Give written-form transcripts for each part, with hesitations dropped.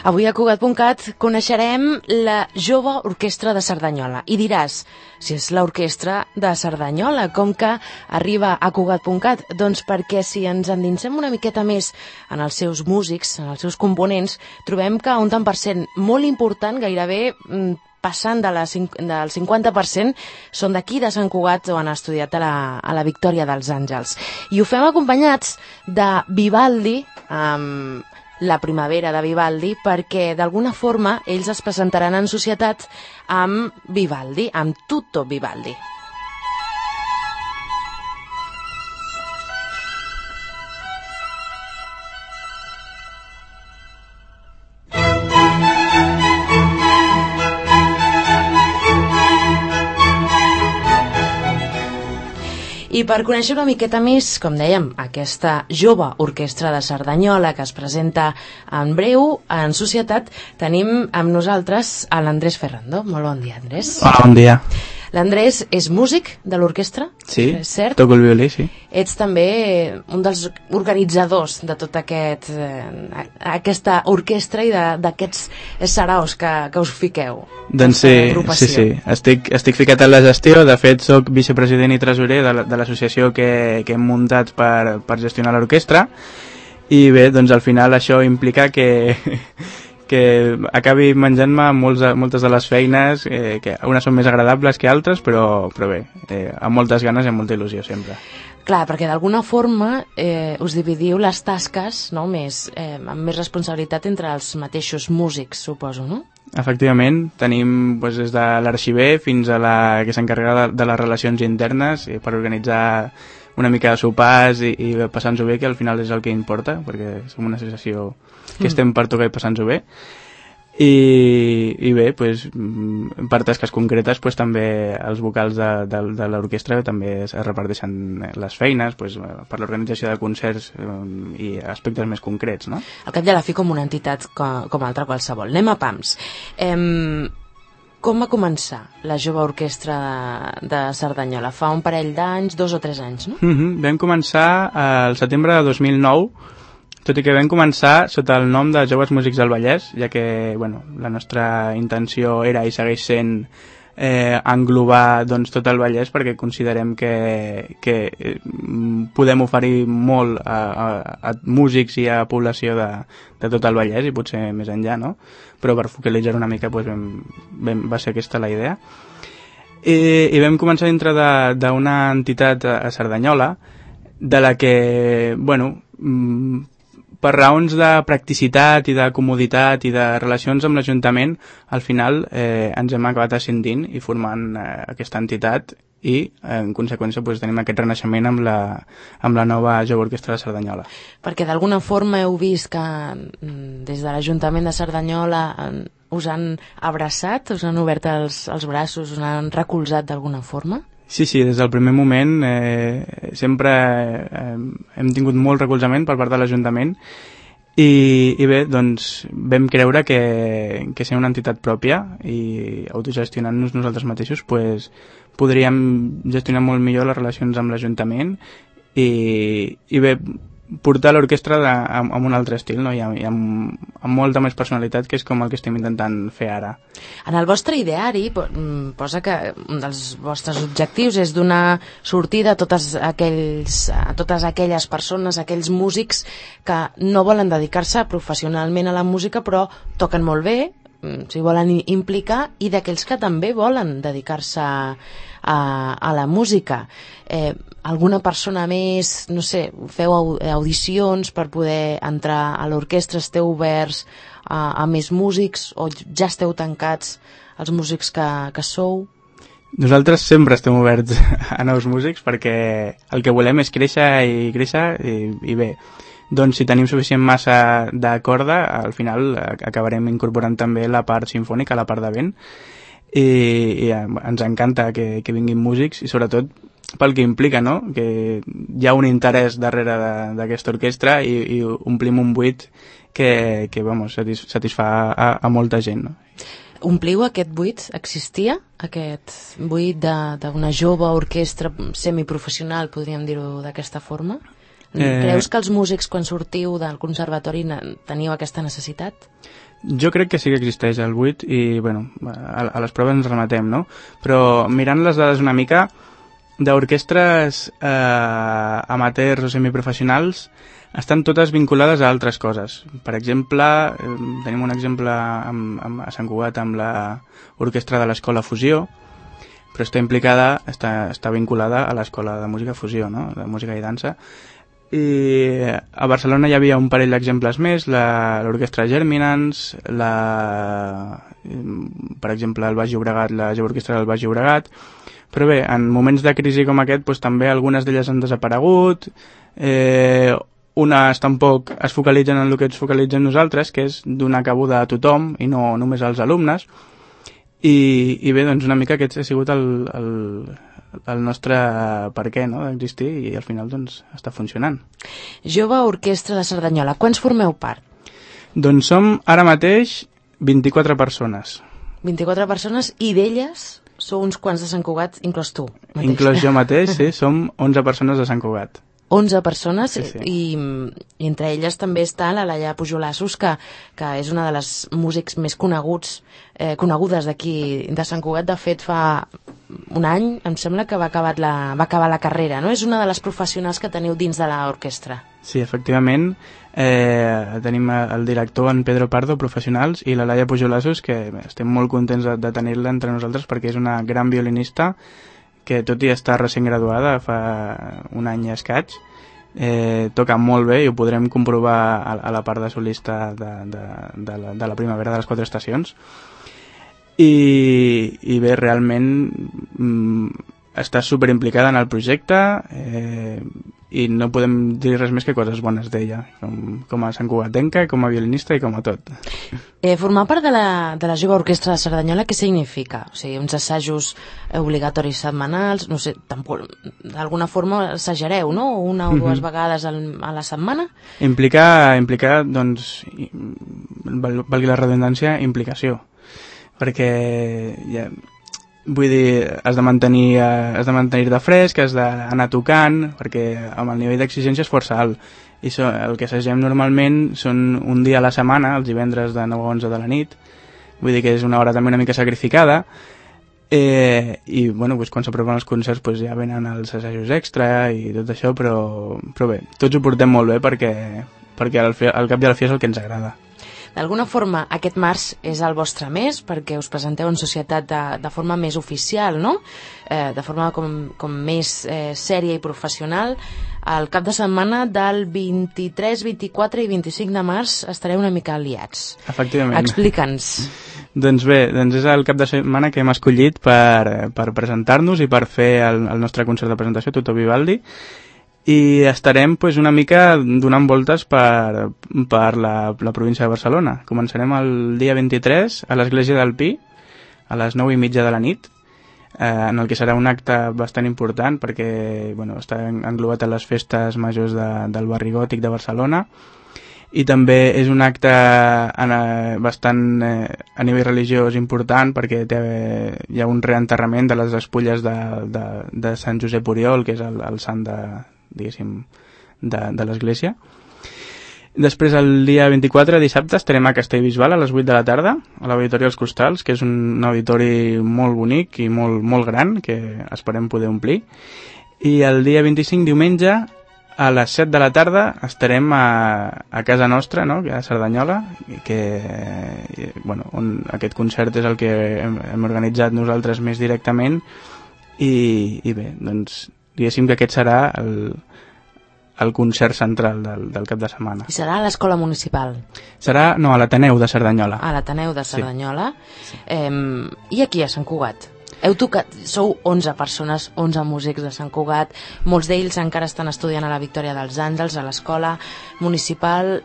Avui a Cugat.cat coneixerem la Jove Orquestra de Cerdanyola. I diràs, si és l'orquestra de Cerdanyola, com que arriba a Cugat.cat? Doncs perquè si ens endinsem una miqueta més en els seus músics, en els seus components, trobem que un tant per cent molt important, gairebé passant del 50%, són d'aquí de Sant Cugat o han estudiat a la Victòria dels Àngels. I ho fem acompanyats de Vivaldi, la primavera de Vivaldi, perquè d'alguna forma ells es presentaran en societat amb Vivaldi, amb Tutto Vivaldi. I per conèixer una miqueta més, com dèiem, aquesta jove orquestra de Cerdanyola que es presenta en breu en societat, tenim amb nosaltres a l'Andrés Ferrando. Molt bon dia, Andrés. Hola, bon dia. L'Andrés és músic de l'orquestra? Sí, cert? Toco el violí, sí. Ets també un dels organitzadors de tota aquesta orquestra i d'aquests saraos que us fiqueu. Doncs sí. Estic ficat en la gestió. De fet, soc vicepresident i tresorer de l'associació que hem muntat per gestionar l'orquestra. I bé, doncs al final això implica que acabi menjant-me moltes de les feines, que unes són més agradables que altres, però bé, amb moltes ganes i amb molta il·lusió sempre. Clar, perquè d'alguna forma us dividiu les tasques, no, amb més responsabilitat entre els mateixos músics, suposo, no? Efectivament, tenim des de l'arxiver fins a la que s'encarrega de les relacions internes per organitzar una mica de sopars i passar-nos-ho bé, que al final és el que importa, perquè som una associació que estem per tocar i passar-nos-ho bé. I bé, per tasques concretes també els vocals de l'orquestra també es reparteixen les feines per l'organització de concerts i aspectes més concrets, no? Al cap i a la fi com una entitat com altra qualsevol. Anem a pams. Com va començar la Jove Orquestra de Cerdanyola? Fa un parell d'anys, 2 o 3 anys, no? Vam començar al setembre de 2009, tot i que vam començar sota el nom de Joves Músics del Vallès, ja que la nostra intenció era i segueix sent englobar tot el Vallès, perquè considerem que podem oferir molt a músics i a població de tot el Vallès i potser més enllà, no? Però per focalitzar una mica va ser aquesta la idea. I vam començar dintre d'una entitat a Cerdanyola, de la que, per raons de practicitat i de comoditat i de relacions amb l'Ajuntament, al final ens hem acabat ascendint i formant aquesta entitat i, en conseqüència, tenim aquest renaixement amb la nova Jove Orquestra de Cerdanyola. Perquè d'alguna forma heu vist que des de l'Ajuntament de Cerdanyola us han abraçat, us han obert els braços, us han recolzat d'alguna forma? Sí, des del primer moment sempre hem tingut molt recolzament per part de l'Ajuntament i bé, doncs vam creure que sent una entitat pròpia i autogestionant-nos nosaltres mateixos podríem gestionar molt millor les relacions amb l'Ajuntament i bé, portar l'orquestra amb un altre estil, no? I amb molta més personalitat, que és com el que estem intentant fer ara. En el vostre ideari posa que un dels vostres objectius és donar sortida a totes aquelles persones, aquells músics que no volen dedicar-se professionalment a la música però toquen molt bé, s'hi volen implicar, i d'aquells que també volen dedicar-se a la música. Alguna persona més, no sé, feu audicions per poder entrar a l'orquestra, esteu oberts a més músics o ja esteu tancats els músics que sou? Nosaltres sempre estem oberts a nous músics perquè el que volem és créixer i bé, doncs si tenim suficient massa de corda, al final acabarem incorporant també la part sinfònica, la part de vent, i ens encanta que vinguin músics i sobretot pel que implica, no? Que hi ha un interès darrere d'aquesta orquestra i omplim un buit que satisfà a molta gent, no? Ompliu aquest buit? Existia aquest buit d'una jove orquestra semiprofessional, podríem dir-ho d'aquesta forma? Creus que els músics, quan sortiu del conservatori, teniu aquesta necessitat? Jo crec que sí que existeix el 8 i, bueno, a les proves ens rematem, no? Però mirant les dades una mica, d'orquestres amateurs o semiprofessionals estan totes vinculades a altres coses. Per exemple, tenim un exemple a Sant Cugat amb l'orquestra de l'Escola Fusió, però està vinculada a l'Escola de Música Fusió, no? De música i dansa. I a Barcelona hi havia un parell d'exemples més, l'orquestra Germinans, per exemple, el Baix Llobregat, la Jove Orquestra del Baix Llobregat. Però bé, en moments de crisi com aquest, doncs, també algunes d'elles han desaparegut, unes tampoc es focalitzen en el que ens focalitzem nosaltres, que és donar cabuda a tothom i no només als alumnes. I bé, doncs una mica aquest ha sigut el nostre per què, no?, d'existir, i al final doncs està funcionant. Jove Orquestra de Cerdanyola, quants formeu part? Doncs som ara mateix 24 persones. 24 persones, i d'elles sou uns quants de Sant Cugat, inclòs tu mateix. Inclòs jo mateix, sí, som 11 persones de Sant Cugat. 11 persones, sí. I entre elles també està la Laia Pujolassos, que és una de les músics més conegudes d'aquí de Sant Cugat. De fet, fa un any, em sembla que va acabar la carrera, no? És una de les professionals que teniu dins de l'orquestra. Sí, efectivament. Tenim el director, en Pedro Pardo, professionals, i la Laia Pujolassos, que estem molt contents de tenir-la entre nosaltres perquè és una gran violinista que tot i estar recent graduada fa un any i escaig, toca molt bé i ho podrem comprovar a la part de solista de la primavera de les 4 estacions. I bé, realment està superimplicada en el projecte, i no podem dir res més que coses bones d'ella, com a santcugatenca, com a violinista i com a tot. Formar part de la Jove Orquestra de Cerdanyola, què significa? O sigui, uns assajos obligatoris setmanals, no sé, d'alguna forma assajareu, no? Una o dues vegades a la setmana? Implica, doncs, valgui la redundància, implicació, perquè vull dir, has de mantenir-te fresc, has d'anar tocant, perquè amb el nivell d'exigència és força alt. I el que assagem normalment són un dia a la setmana, els divendres de 9 a 11 de la nit. Vull dir que és una hora també una mica sacrificada. I bueno, doncs, quan s'apropen els concerts doncs, ja venen els assajos extra i tot això, però bé, tots ho portem molt bé perquè al cap i a la fi és el que ens agrada. D'alguna forma, aquest març és el vostre mes, perquè us presenteu en societat de forma més oficial, no? De forma com més sèria i professional. Al cap de setmana del 23, 24 i 25 de març estareu una mica aliats. Efectivament. Explica'ns. Doncs bé, és el cap de setmana que hem escollit per presentar-nos i per fer el nostre concert de presentació, Tutto Vivaldi, i estarem una mica donant voltes per la província de Barcelona. Començarem el dia 23 a l'església del Pi, a les 9:30 de la nit, en el que serà un acte bastant important perquè està englobat a les festes majors del barri gòtic de Barcelona, i també és un acte bastant a nivell religiós important perquè hi ha un reenterrament de les despulles de Sant Josep Oriol, que és el sant de l'església. Després, el dia 24, dissabte, estarem a Castellbisbal a les 8 de la tarda, a l'Auditori dels Costals, que és un auditori molt bonic i molt, molt gran, que esperem poder omplir. I el dia 25, diumenge, a les 7 de la tarda, estarem a casa nostra, no?, a Cerdanyola, on aquest concert és el que hem organitzat nosaltres més directament, i bé, doncs diguéssim que aquest serà el concert central del cap de setmana. I serà a l'escola municipal? Serà, no, a l'Ateneu de Cerdanyola. A l'Ateneu de Cerdanyola. Sí. I aquí a Sant Cugat? Heu tocat, sou 11 persones, 11 músics de Sant Cugat, molts d'ells encara estan estudiant a la Victòria dels Àngels, a l'escola municipal.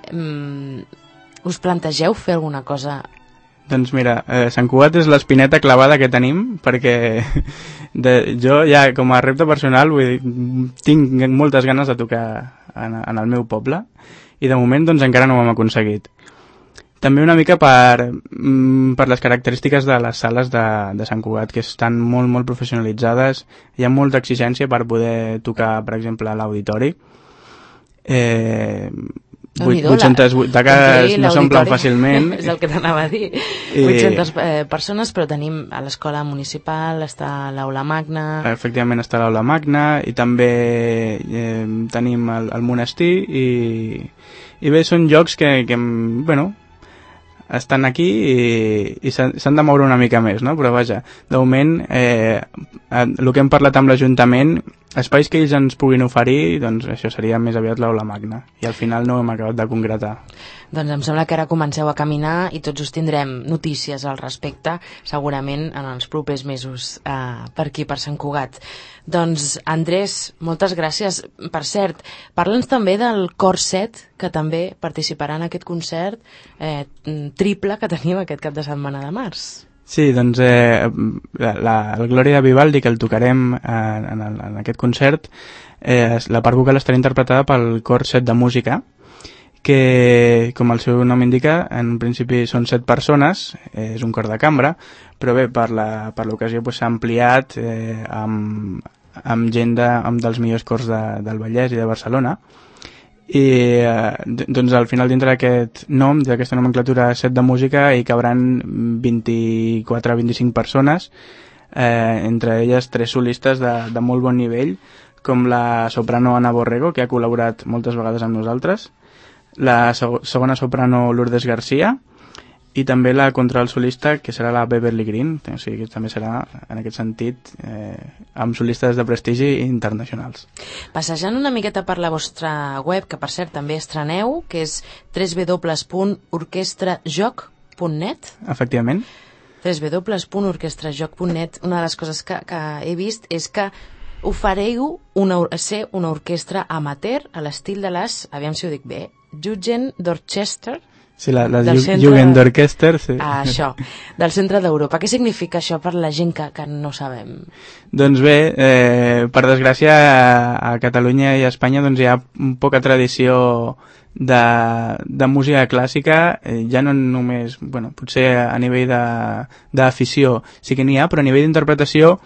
Us plantegeu fer alguna cosa? Doncs mira, Sant Cugat és l'espineta clavada que tenim, perquè jo ja com a repte personal tinc moltes ganes de tocar en el meu poble, i de moment doncs encara no ho hem aconseguit. També una mica per les característiques de les sales de Sant Cugat, que estan molt, molt professionalitzades, hi ha molta exigència per poder tocar, per exemple, a l'auditori. 800 butaques no s'omplen fàcilment. És el que t'anava a dir. 800 persones, però tenim a l'escola municipal, està l'aula magna... Efectivament està l'aula magna i també tenim el monestir i bé, són llocs que bueno, estan aquí i s'han de moure una mica més, no? Però vaja, de moment el que hem parlat amb l'Ajuntament, espais que ells ens puguin oferir, doncs això seria més aviat l'aula magna i al final no hem acabat de concretar. Doncs em sembla que ara comenceu a caminar i tots us tindrem notícies al respecte, segurament en els propers mesos per aquí, per Sant Cugat. Doncs Andrés, moltes gràcies. Per cert, parla'ns també del Cor 7, que també participarà en aquest concert triple que tenim aquest cap de setmana de març. Sí, doncs el Glòria de Vivaldi, que el tocarem en aquest concert, la part vocal estarà interpretada pel Cor 7 de Música, que, com el seu nom indica, en principi són 7 persones, és un cor de cambra, però bé, per l'ocasió s'ha ampliat amb gent dels millors cors del Vallès i de Barcelona, i doncs al final dintre d'aquest nom, d'aquesta nomenclatura 7 de música, hi cabran 24-25 persones, entre elles 3 solistes de molt bon nivell, com la soprano Ana Borrego, que ha col·laborat moltes vegades amb nosaltres, la segona soprano Lourdes García, i també la contralt solista, que serà la Beverly Green, o sigui que també serà, en aquest sentit, amb solistes de prestigi internacionals. Passejant una miqueta per la vostra web, que per cert també estreneu, que és www.orquestrajoc.net. Efectivament. www.orquestrajoc.net. Una de les coses que he vist és que ofereu ser una orquestra amateur a l'estil de les, aviam si ho dic bé, Jugendzorchester. Sí, la Jugendorchester, sí. Això, del centre d'Europa. Què significa això per la gent que no sabem? Doncs bé, per desgràcia a Catalunya i a Espanya doncs hi ha poca tradició de música clàssica, ja no només, bueno, potser a nivell d'afició sí que n'hi ha, però a nivell d'interpretació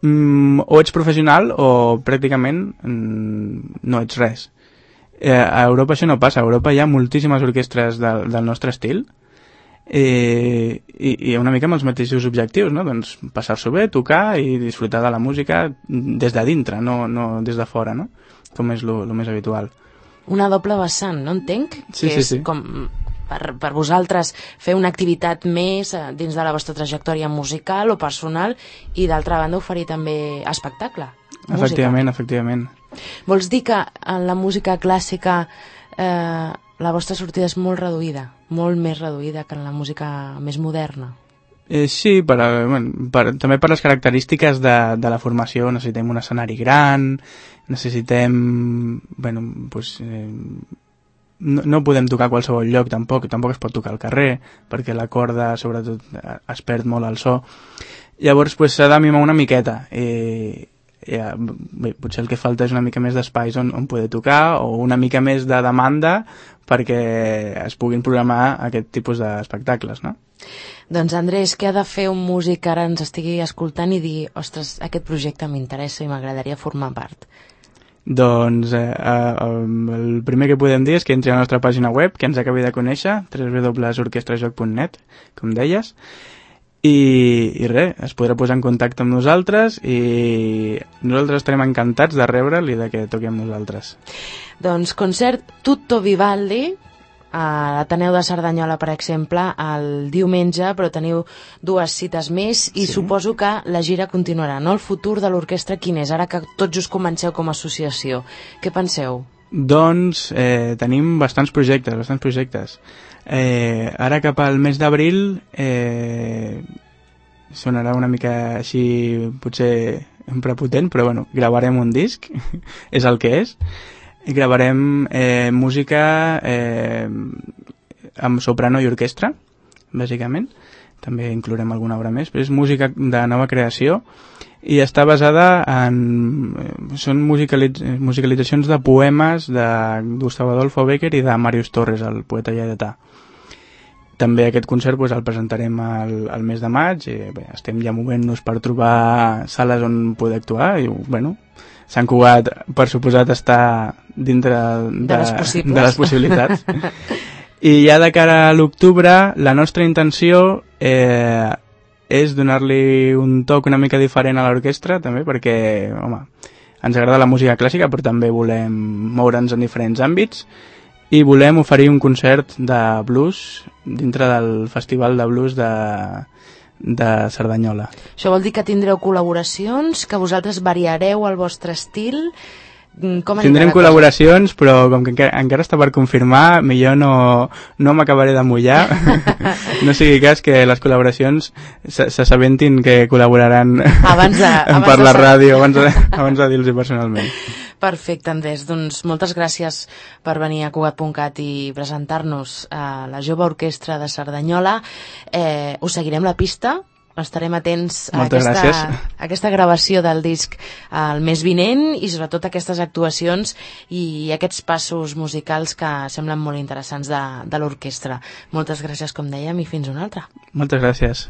o ets professional o pràcticament no ets res. A Europa això no passa. A Europa hi ha moltíssimes orquestres del nostre estil i una mica amb els mateixos objectius, no? Doncs passar-s'ho bé, tocar i disfrutar de la música des de dintre, no des de fora, no? Com és lo més habitual. Una doble vessant, no entenc? Sí, que és sí. Com per vosaltres fer una activitat més dins de la vostra trajectòria musical o personal i d'altra banda oferir també espectacle. Efectivament, efectivament. Vols dir que en la música clàssica la vostra sortida és molt reduïda, molt més reduïda que en la música més moderna? Sí, també per les característiques de la formació. Necessitem un escenari gran, necessitem... no podem tocar a qualsevol lloc, tampoc es pot tocar al carrer, perquè la corda, sobretot, es perd molt el so. Llavors, s'ha de mimar una miqueta. Potser el que falta és una mica més d'espais on poder tocar o una mica més de demanda perquè es puguin programar aquest tipus d'espectacles, no? Doncs Andrés, què ha de fer un músic que ara ens estigui escoltant i dir, ostres, aquest projecte m'interessa i m'agradaria formar part? Doncs el primer que podem dir és que entri a la nostra pàgina web, que ens acabi de conèixer, www.orquestrajoc.net, com deies, i res, es podrà posar en contacte amb nosaltres i nosaltres estarem encantats de rebre'l i de que toqui amb nosaltres. Doncs concert Tutto Vivaldi a l'Ateneu de Cerdanyola, per exemple, el diumenge, però teniu 2 cites més i suposo que la gira continuarà, no? El futur de l'orquestra quin és, ara que tots us comenceu com a associació? Què penseu? Doncs tenim bastants projectes. Ara cap al mes d'abril sonarà una mica així potser prepotent, però bueno, gravarem un disc, és el que és. Gravarem música amb soprano i orquestra, bàsicament. També inclourem alguna obra més, però és música de nova creació i està basada són musicalitzacions de poemes de Gustavo Adolfo Bécquer i de Màrius Torres, el poeta lleidatà. També aquest concert el presentarem al mes de maig i bé, estem ja movent-nos per trobar sales on poder actuar i bueno, Sant Cugat, per suposat, està dintre de les possibilitats. I ja de cara a l'octubre, la nostra intenció és donar-li un toc una mica diferent a l'orquestra, també, perquè, home, ens agrada la música clàssica, però també volem moure'ns en diferents àmbits, i volem oferir un concert de blues dintre del Festival de Blues de Cerdanyola. Això vol dir que tindreu col·laboracions, que vosaltres variareu el vostre estil? Tindrem col·laboracions, però com que encara està per confirmar, millor no m'acabaré de mullar. No sigui cas que les col·laboracions s'assabentin que col·laboraran per la ràdio abans de dir-los personalment. Perfecte, Andrés. Doncs moltes gràcies per venir a Cugat.cat i presentar-nos a la Jove Orquestra de Cerdanyola. Us seguirem la pista. Estarem atents a aquesta gravació del disc el mes vinent i sobretot aquestes actuacions i aquests passos musicals que semblen molt interessants de l'orquestra. Moltes gràcies, com dèiem, i fins una altra. Moltes gràcies.